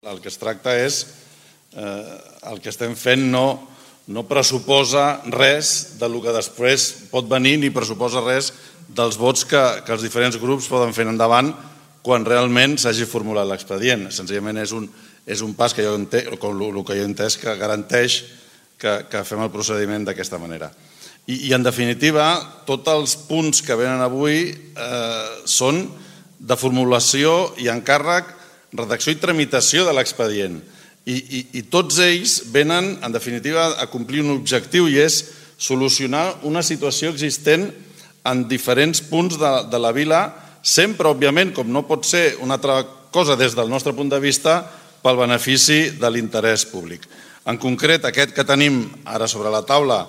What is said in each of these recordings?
El que es tracta és, el que estem fent no pressuposa res del que després pot venir ni pressuposa res dels vots que els diferents grups poden fer endavant quan realment s'hagi formulat l'expedient. Senzillament és un pas que jo entenc, com el que jo he entès, que garanteix que fem el procediment d'aquesta manera. I en definitiva, tots els punts que venen avui són de formulació i encàrrec, redacció i tramitació de l'expedient. I tots ells venen, en definitiva, a complir un objectiu i és solucionar una situació existent en diferents punts de la vila, sempre, òbviament, com no pot ser una altra cosa des del nostre punt de vista, pel benefici de l'interès públic. En concret, aquest que tenim ara sobre la taula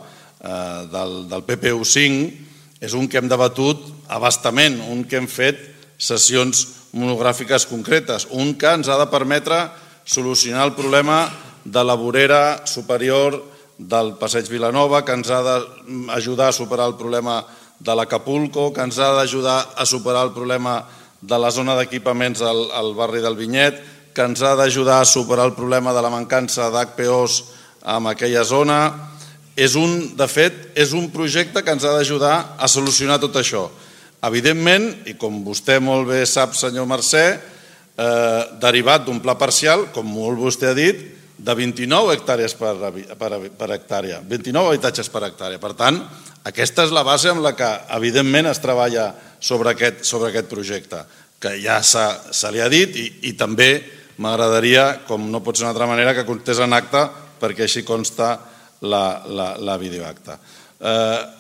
del PPU5 és un que hem debatut a bastament, un que hem fet sessions monogràfiques concretes, un que ens ha de permetre solucionar el problema de la vorera superior del Passeig Vilanova, que ens ha d'ajudar a superar el problema de l'Acapulco, que ens ha d'ajudar a superar el problema de la zona d'equipaments al barri del Vinyet, que ens ha d'ajudar a superar el problema de la mancança d'HPOs en aquella zona. De fet, és un projecte que ens ha d'ajudar a solucionar tot això. Evidentment, i com vostè molt bé sap, senyor Mercè, derivat d'un pla parcial, com molt vostè ha dit, de 29 hectàrees per hectàrea, 29 habitatges per hectàrea. Per tant, aquesta és la base amb la que, evidentment, es treballa sobre aquest projecte, que ja se li ha dit i també m'agradaria, com no pot ser d'una altra manera, que constés en acte, perquè així consta la videoacta.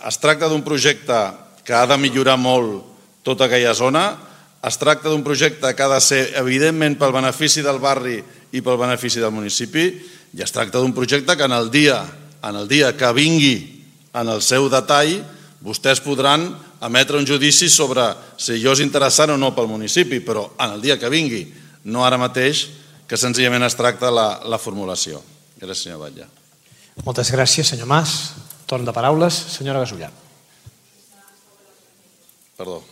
Es tracta d'un projecte que ha de millorar molt tota aquella zona, es tracta d'un projecte que ha de ser, evidentment, pel benefici del barri i pel benefici del municipi, i es tracta d'un projecte que en el dia que vingui en el seu detall, vostès podran emetre un judici sobre si allò és interessant o no pel municipi, però en el dia que vingui, no ara mateix, que senzillament es tracta la formulació. Gràcies, senyor Batlle. Moltes gràcies, senyor Mas. Torn de paraules, senyora Gasulla. Perdó.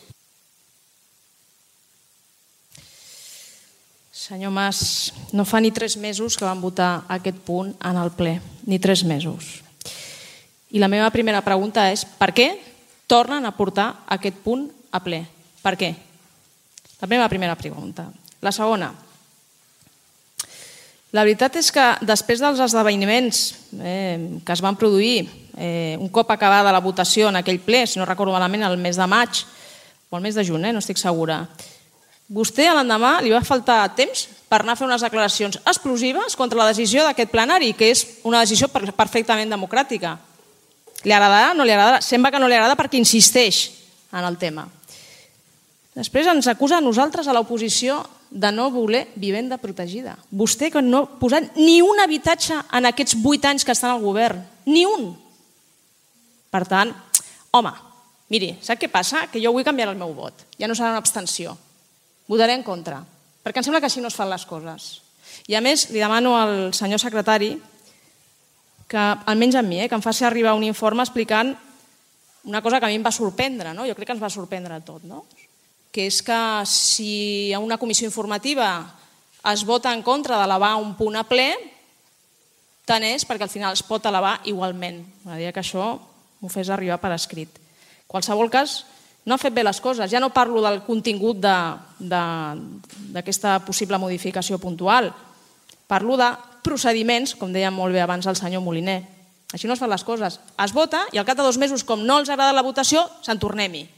Senyor Mas, no fa ni 3 mesos que vam votar aquest punt en el ple, ni 3 mesos. I la meva primera pregunta és per què tornen a portar aquest punt a ple? Per què? La meva primera pregunta. La segona, la veritat és que després dels esdeveniments que es van produir un cop acabada la votació en aquell ple, si no recordo malament, el mes de maig o el mes de juny, no estic segura, vostè a l'endemà li va faltar temps per anar a fer unes declaracions explosives contra la decisió d'aquest plenari, que és una decisió perfectament democràtica. Li agradarà o no li agradarà? Sembla que no li agrada perquè insisteix en el tema. Després ens acusa a nosaltres, a l'oposició, de no voler vivenda protegida. Vostè que no ha posat ni un habitatge en aquests 8 anys que està al govern. Ni un. Per tant, home, miri, sap què passa? Que jo vull canviar el meu vot. Ja no serà una abstenció. Votaré en contra. Perquè em sembla que així no es fan les coses. I a més, li demano al senyor secretari que, almenys a mi, que em faci arribar un informe explicant una cosa que a mi em va sorprendre, no? Jo crec que ens va sorprendre a tot, no? Que és que si a una comissió informativa es vota en contra d'elevar un punt a ple, tant és perquè al final es pot elevar igualment. M'agradaria que això m'ho fes arribar per escrit. En qualsevol cas, no ha fet bé les coses. Ja no parlo del contingut d'aquesta possible modificació puntual. Parlo de procediments, com deia molt bé abans el senyor Moliner. Així no es fan les coses. Es vota i al cap de 2 mesos, com no els agrada la votació, se'n tornem-hi.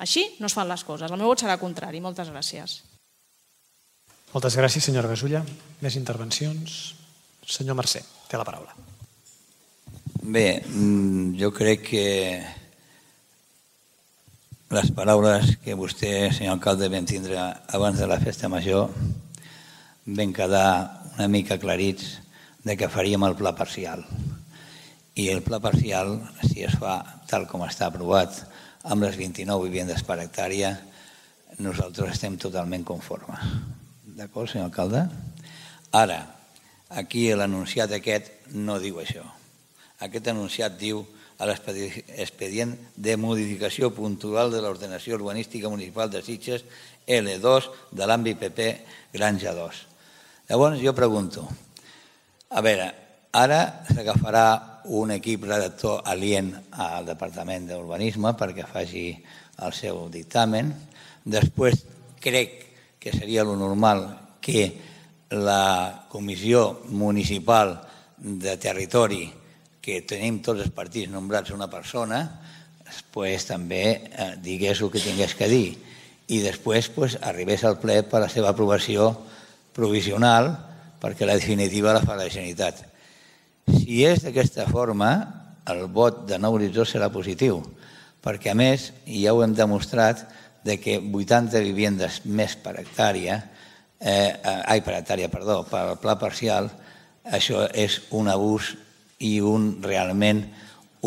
Així no es fan les coses. El meu vot serà contrari. Moltes gràcies. Moltes gràcies, senyora Gasulla. Més intervencions? Senyor Mercè, té la paraula. Bé, jo crec que les paraules que vostè, senyor alcalde, vam tindre abans de la festa major van quedar una mica aclarits de que faríem el pla parcial. I el pla parcial, si es fa tal com està aprovat, amb les 29 vivendes per hectàrea, nosaltres estem totalment conformes. D'acord, senyor alcalde? Ara, aquí l'anunciat aquest no diu això. Aquest anunciat diu a l'expedient de modificació puntual de l'ordenació urbanística municipal de Sitges L2 de l'àmbit PP Granja 2. Llavors jo pregunto, a veure, ara s'agafarà un equip redactor alient al Departament d'Urbanisme perquè faci el seu dictamen. Després crec que seria lo normal que la Comissió Municipal de Territori, que tenim tots els partits nombrats una persona, pues, també digués el que tingués que dir i després pues, arribés al ple per la seva aprovació provisional perquè la definitiva la fa la Generalitat. Si és d'aquesta forma, el vot de Nou Horitzó serà positiu, perquè a més ja ho hem demostrat que 80 vivendes més per hectàrea, per al pla parcial, això és un abús i realment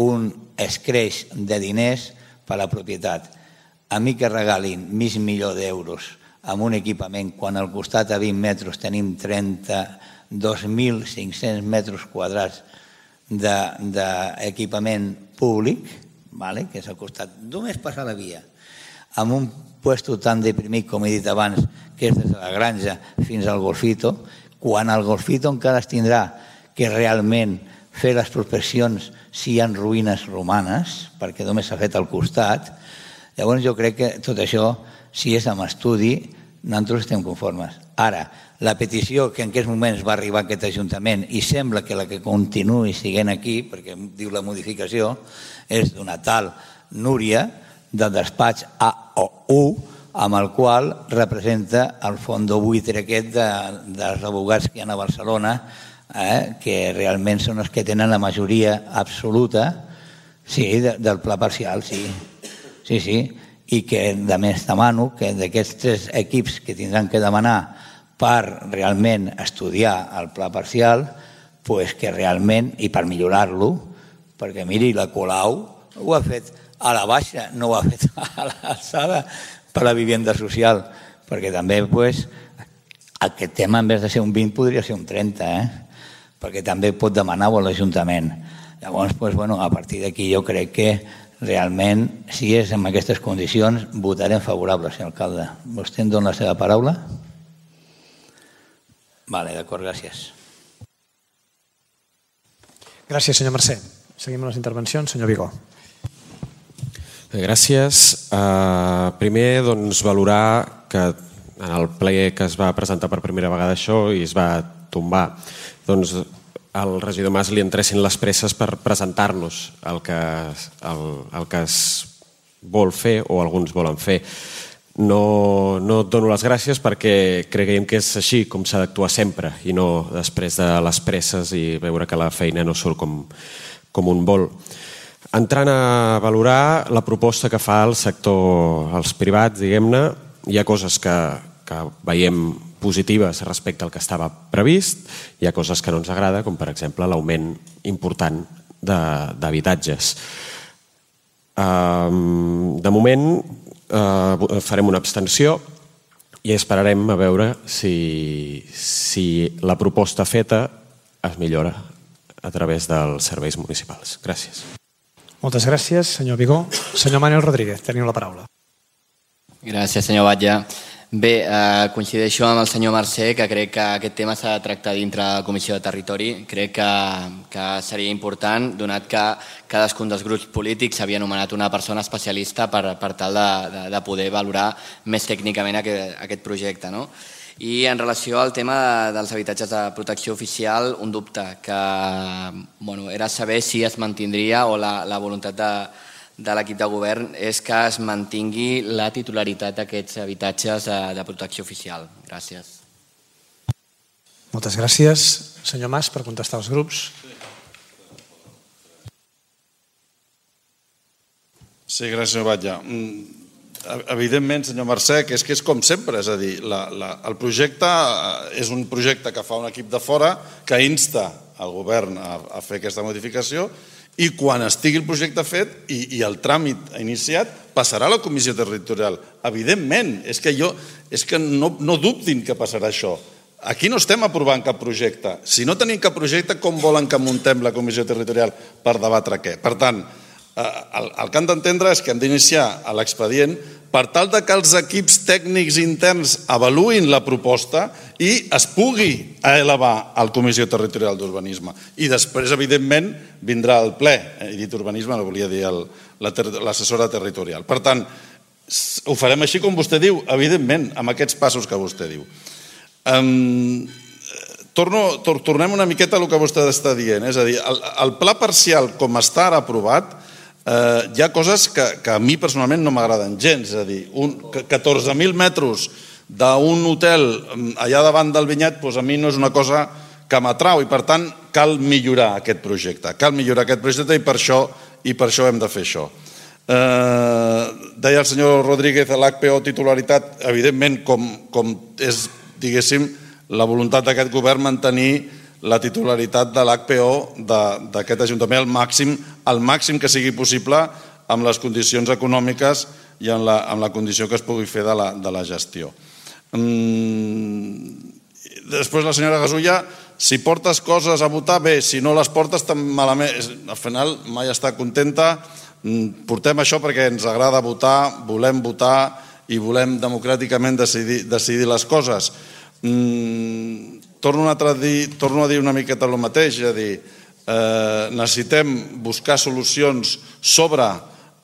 un escreix de diners per a la propietat. A mi que regalin mig milió d'euros amb un equipament quan al costat a 20 metres tenim 32.500 metres quadrats d'equipament públic, que és al costat, només passar la via, amb un puesto tan deprimit, com he dit abans, que és des de la Granja fins al Golfito, quan al Golfito encara es tindrà que realment fer les prospeccions si hi ha ruïnes romanes, perquè només s'ha fet al costat. Llavors jo crec que tot això, si és amb estudi, nosaltres estem conformes. Ara, la petició que en aquests moments va arribar a aquest Ajuntament i sembla que la que continuï siguent aquí, perquè diu la modificació, és d'una tal Núria del despatx AOU, amb el qual representa el fondo buitre aquest dels abogats que hi ha a Barcelona, que realment són els que tenen la majoria absoluta del pla parcial, sí, i que a més demano que d'aquests 3 equips que tindran que demanar per realment estudiar el pla parcial, que realment, i per millorar-lo, perquè miri, la Colau ho ha fet a la baixa, no ho ha fet a l'alçada per a la vivenda social, perquè també aquest tema en vez de ser un 20 podria ser un 30, perquè també pot demanar-ho a l'Ajuntament. Llavors, a partir d'aquí jo crec que realment, si és en aquestes condicions, votarem favorable, senyor alcalde. Vostè em dona la seva paraula? D'acord, gràcies. Gràcies, senyor Mercè. Seguim amb les intervencions. Senyor Vigó. Gràcies. Primer, valorar que en el ple que es va presentar per primera vegada això i es va tombar, al regidor Mas li entressin les presses per presentar-nos el que es vol fer o alguns volen fer. No et dono les gràcies perquè creiem que és així com s'ha d'actuar sempre i no després de les presses i veure que la feina no surt com un vol. Entrant a valorar la proposta que fa el sector, els privats, diguem-ne, hi ha coses que veiem positives respecte al que estava previst, hi ha coses que no ens agrada, com per exemple l'augment important d'habitatges. De moment farem una abstenció i esperarem a veure si la proposta feta es millora a través dels serveis municipals. Gràcies. Moltes gràcies, senyor Vigó. Senyor Manuel Rodríguez, teniu la paraula. Gràcies, senyor Batlle. Bé, coincideixo amb el senyor Mercè, que crec que aquest tema s'ha de tractar dintre de la Comissió de Territori. Crec que seria important, donat que cadascun dels grups polítics havia anomenat una persona especialista per tal de poder valorar més tècnicament aquest projecte. I en relació al tema dels habitatges de protecció oficial, un dubte, que era saber si es mantindria o la voluntat de l'equip de govern és que es mantingui la titularitat d'aquests habitatges de protecció oficial. Gràcies. Moltes gràcies. Senyor Mas, per contestar als grups. Sí, gràcies, senyor Batlle. Evidentment, senyor Mercè, que és com sempre, és a dir, el projecte és un projecte que fa un equip de fora que insta el govern a fer aquesta modificació i quan estigui el projecte fet i el tràmit iniciat passarà a la Comissió Territorial. Evidentment, és que no dubtin que passarà això. Aquí no estem aprovant cap projecte. Si no tenim cap projecte, com volen que muntem la Comissió Territorial per debatre què? Per tant, el que han d'entendre és que hem d'iniciar l'expedient per tal que els equips tècnics interns avaluïn la proposta i es pugui elevar a la Comissió Territorial d'Urbanisme. I després, evidentment, vindrà al ple. He dit urbanisme, no volia dir l'assessora territorial. Per tant, ho farem així com vostè diu, evidentment, amb aquests passos que vostè diu. Tornem una miqueta a el que vostè està dient, és a dir, el pla parcial com està ara aprovat, hi ha coses que a mi personalment no m'agraden gens, és a dir, 14.000 metres d'un hotel allà davant del vinyet, a mi no és una cosa que m'atrau i per tant cal millorar aquest projecte, i per això hem de fer això. Deia el senyor Rodríguez, l'HPO titularitat, evidentment, com és, diguéssim, la voluntat d'aquest govern mantenir la titularitat de l'HPO d'aquest Ajuntament al màxim que sigui possible amb les condicions econòmiques i amb la condició que es pugui fer de la gestió. Després la senyora Gasulla, si portes coses a votar, bé, si no les portes tan malament, al final mai està contenta, portem això perquè ens agrada votar, volem votar i volem democràticament decidir les coses. Torno a dir una miqueta el mateix, és a dir, necessitem buscar solucions sobre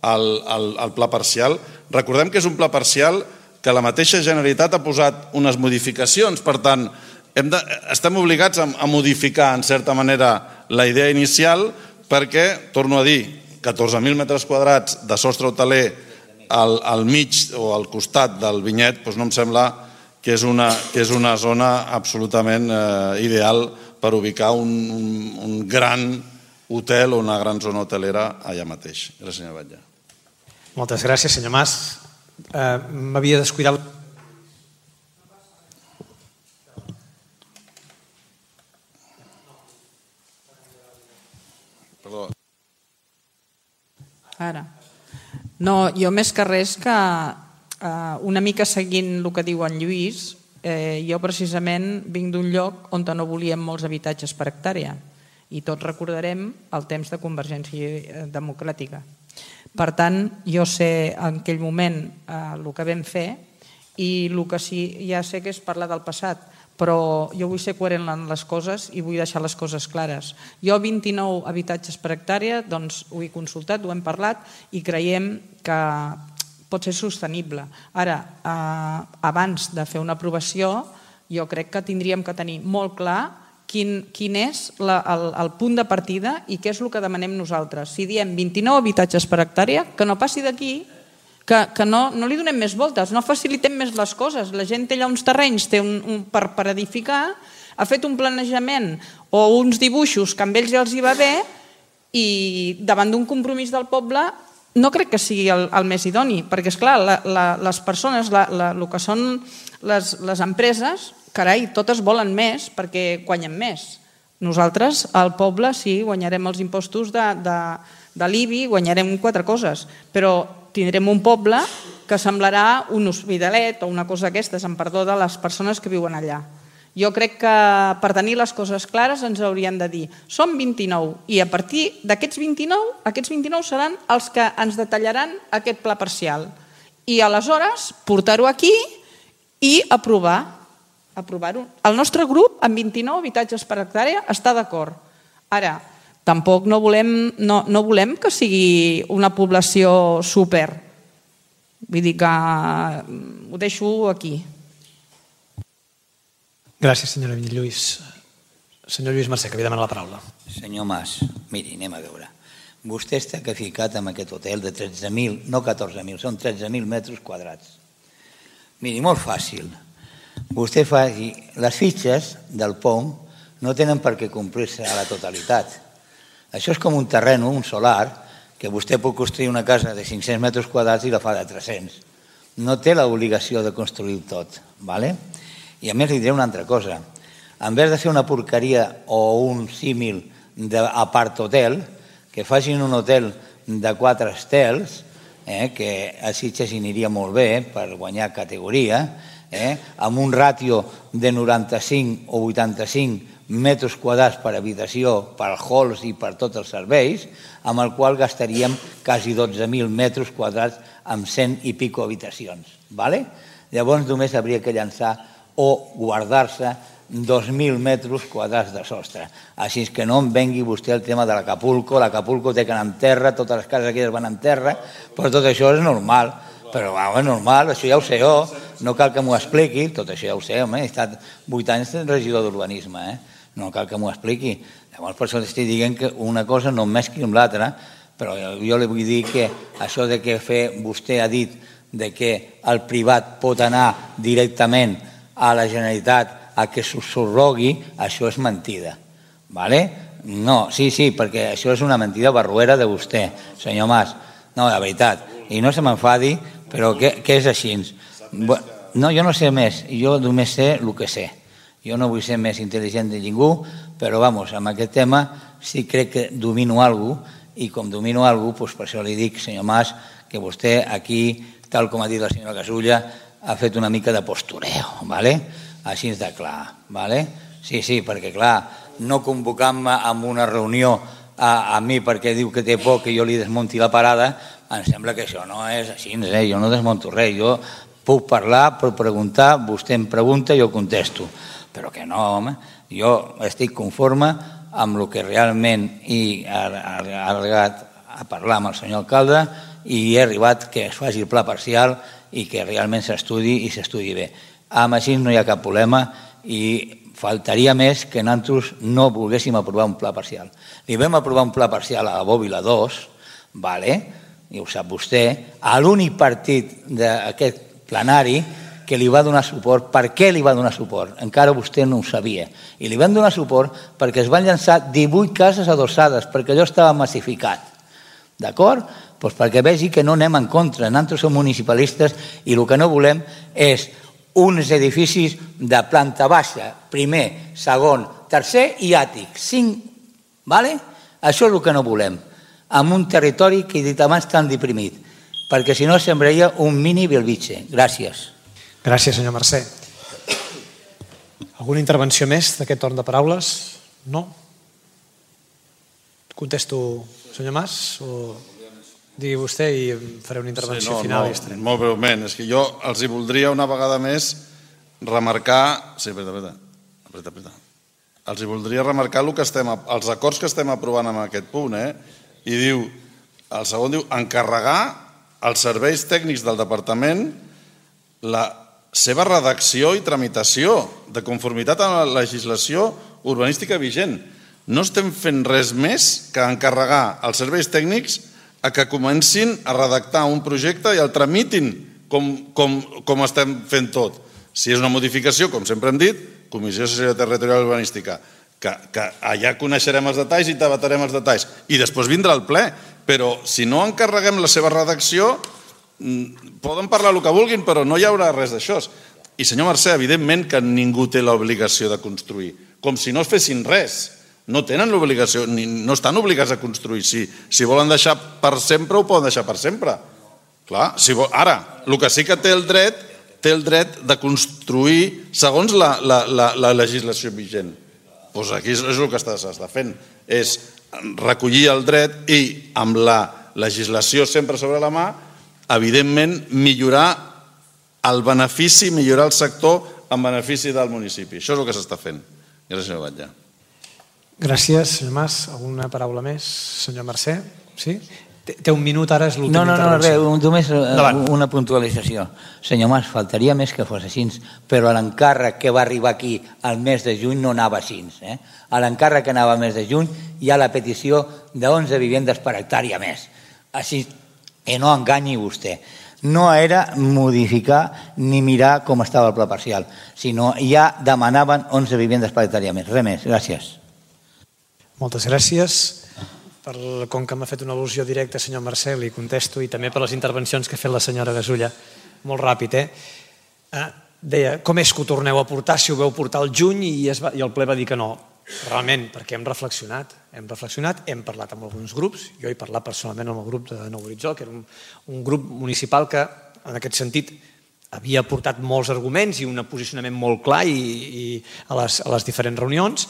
el pla parcial. Recordem que és un pla parcial que la mateixa Generalitat ha posat unes modificacions, per tant, estem obligats a modificar, en certa manera, la idea inicial perquè, torno a dir, 14.000 metres quadrats de sostre hoteler al mig o al costat del vinyet, no em sembla que és una zona absolutament ideal per ubicar un gran hotel o una gran zona hotelera allà mateix. Gràcies, senyor Batlle. Moltes gràcies, senyor Mas. M'havia descuidat... Perdó. Ara. No, jo més que res que una mica seguint el que diu en Lluís, jo precisament vinc d'un lloc on no volíem molts habitatges per hectàrea i tots recordarem el temps de Convergència Democràtica. Per tant, jo sé en aquell moment el que vam fer i el que sí, ja sé que és parlar del passat, però jo vull ser coherent en les coses i vull deixar les coses clares. Jo 29 habitatges per hectàrea, doncs ho he consultat, ho hem parlat i creiem que pot ser sostenible. Ara, abans de fer una aprovació, jo crec que tindríem que tenir molt clar quin és el punt de partida i què és el que demanem nosaltres. Si diem 29 habitatges per hectàrea, que no passi d'aquí, que no li donem més voltes, no facilitem més les coses. La gent té allà uns terrenys per edificar, ha fet un planejament o uns dibuixos que amb ells ja els hi va bé i davant d'un compromís del poble no crec que sigui el més idoni, perquè, esclar, les persones, el que són les empreses, carai, totes volen més perquè guanyen més. Nosaltres, al poble, sí, guanyarem els impostos de l'IBI, guanyarem 4 coses, però tindrem un poble que semblarà un hospitalet o una cosa d'aquestes, en perdó de les persones que viuen allà. Jo crec que per tenir les coses clares ens haurien de dir som 29 i a partir d'aquests 29 seran els que ens detallaran aquest pla parcial i aleshores portar-ho aquí i aprovar-ho. El nostre grup amb 29 habitatges per hectàrea està d'acord. Ara, tampoc no volem que sigui una població súper. Vull dir que ho deixo aquí. Gràcies, senyora Lluís. Senyor Lluís Mercè, que havia demanat la paraula. Senyor Mas, miri, anem a veure. Vostè està ficat en aquest hotel de 13.000, no 14.000, són 13.000 metres quadrats. Miri, molt fàcil. Vostè fa... Les fitxes del POM no tenen per què complir-se a la totalitat. Això és com un terreno, un solar, que vostè pot construir una casa de 500 metres quadrats i la fa de 300. No té l'obligació de construir tot, d'acord? I a més li diré una altra cosa. En vez de fer una porqueria o un símil d'apart hotel, que facin un hotel de 4 estels, que a Sitges hi aniria molt bé per guanyar categoria, amb un ràtio de 95 o 85 metres quadrats per habitació, per halls i per tots els serveis, amb el qual gastaríem quasi 12.000 metres quadrats amb 100 i pico habitacions. Llavors només hauria que llançar o guardar-se 2.000 metres quadrats de sostre. Així que no em vengui vostè el tema de l'Acapulco. L'Acapulco té que anar en terra, totes les cases aquelles van en terra, però tot això és normal. Però és normal, això ja ho sé jo, no cal que m'ho expliqui, tot això ja ho sé, home, he estat 8 anys de regidor d'urbanisme, no cal que m'ho expliqui. Llavors per això estic dient que una cosa no em mescli amb l'altra, però jo li vull dir que això de que vostè ha dit de que el privat pot anar directament a la Generalitat a que s'ho subrogui, això és mentida. No, sí, perquè això és una mentida barruera de vostè, senyor Mas. No, de veritat. I no se m'enfadi, però que és així. No, jo no sé més, jo només sé el que sé. Jo no vull ser més intel·ligent de ningú, però, vamos, amb aquest tema sí crec que domino alguna cosa, i com domino alguna cosa, per això li dic, senyor Mas, que vostè aquí, tal com ha dit la senyora Gasulla, ha fet una mica de postureo, així de clar. Sí, perquè, clar, no convocant-me amb una reunió a mi perquè diu que té por que jo li desmunti la parada, em sembla que això no és així, jo no desmonto res, jo puc parlar, puc preguntar, vostè em pregunta i jo contesto, però que no, home, jo estic conforme amb el que realment he arribat a parlar amb el senyor alcalde i he arribat que es faci el pla parcial i que realment s'estudi i s'estudi bé. Amb així no hi ha cap problema i faltaria més que nosaltres no volguéssim aprovar un pla parcial. Li vam aprovar un pla parcial a la Bòbila 2, i ho sap vostè, a l'únic partit d'aquest plenari que li va donar suport. Per què li va donar suport? Encara vostè no ho sabia. I li van donar suport perquè es van llançar 18 cases adossades, perquè allò estava massificat. D'acord? Doncs perquè vegi que no anem en contra. Nosaltres som municipalistes i el que no volem és uns edificis de planta baixa, primer, segon, tercer i àtic. 5, això és el que no volem. En un territori que he dit abans tan deprimit, perquè si no sembraria un mini Belvitge. Gràcies. Gràcies, senyor Mercè. Alguna intervenció més d'aquest torn de paraules? No? Contesto, senyor Mas, o digui vostè i faré una intervenció final i estarem. Molt breument, és que jo els hi voldria una vegada més remarcar... Sí, apreta. Els hi voldria remarcar els acords que estem aprovant en aquest punt, i diu, el segon diu, encarregar als serveis tècnics del departament la seva redacció i tramitació de conformitat amb la legislació urbanística vigent. No estem fent res més que encarregar als serveis tècnics a que comencin a redactar un projecte i el tramitin com estem fent tot. Si és una modificació, com sempre hem dit, Comissió Assessora Territorial Urbanística, que allà coneixerem els detalls i debatarem els detalls. I després vindrà el ple, però si no encarreguem la seva redacció, poden parlar el que vulguin, però no hi haurà res d'això. I senyor Mercè, evidentment que ningú té l'obligació de construir, com si no es fessin res. No tenen l'obligació, no estan obligats a construir. Si volen deixar per sempre, ho poden deixar per sempre. Clar, ara, el que sí que té el dret de construir segons la legislació vigent. Doncs aquí és el que s'està fent, és recollir el dret i amb la legislació sempre sobre la mà, evidentment, millorar el benefici, millorar el sector en benefici del municipi. Això és el que s'està fent. Gràcies, senyor Batlle. Gràcies, senyor Mas. Alguna paraula més? Senyor Mercè? Sí? Té un minut, ara és l'última intervenció. No, només una puntualització. Senyor Mas, faltaria més que fos així, però l'encàrrec que va arribar aquí al mes de juny no anava així. A l'encàrrec que anava al mes de juny hi ha la petició de 11 vivendes per hectàrea més. Així, i no enganyi vostè. No era modificar ni mirar com estava el pla parcial, sinó ja demanaven 11 vivendes per hectàrea més. Res més. Gràcies. Moltes gràcies. Com que m'ha fet una al·lusió directa, senyor Mercè, li contesto, i també per les intervencions que ha fet la senyora Gasulla. Molt ràpid, Deia, com és que ho torneu a portar si ho veu portar al juny i el ple va dir que no? Realment, perquè hem reflexionat, hem parlat amb alguns grups, jo he parlat personalment amb el grup de Nou Horitzó, que era un grup municipal que, en aquest sentit, havia portat molts arguments i un posicionament molt clar a les diferents reunions,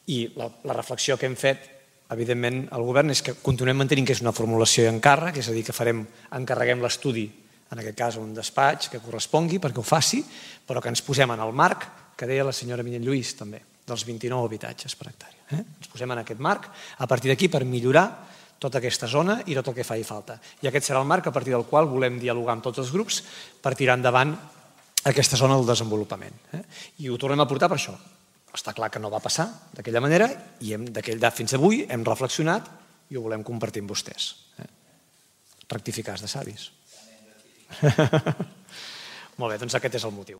i la reflexió que hem fet, evidentment, al govern és que continuem mantenint que és una formulació i encàrrec, és a dir, que encarreguem l'estudi en aquest cas un despatx que correspongui perquè ho faci, però que ens posem en el marc que deia la senyora Minyent Lluís també, dels 29 habitatges per hectàrea. Ens posem en aquest marc a partir d'aquí per millorar tota aquesta zona i tot el que faci falta. I aquest serà el marc a partir del qual volem dialogar amb tots els grups per tirar endavant aquesta zona del desenvolupament. I ho tornem a portar per això. Està clar que no va passar d'aquella manera i d'aquell dat fins avui hem reflexionat i ho volem compartir amb vostès. Rectificars de savis. Molt bé, doncs aquest és el motiu.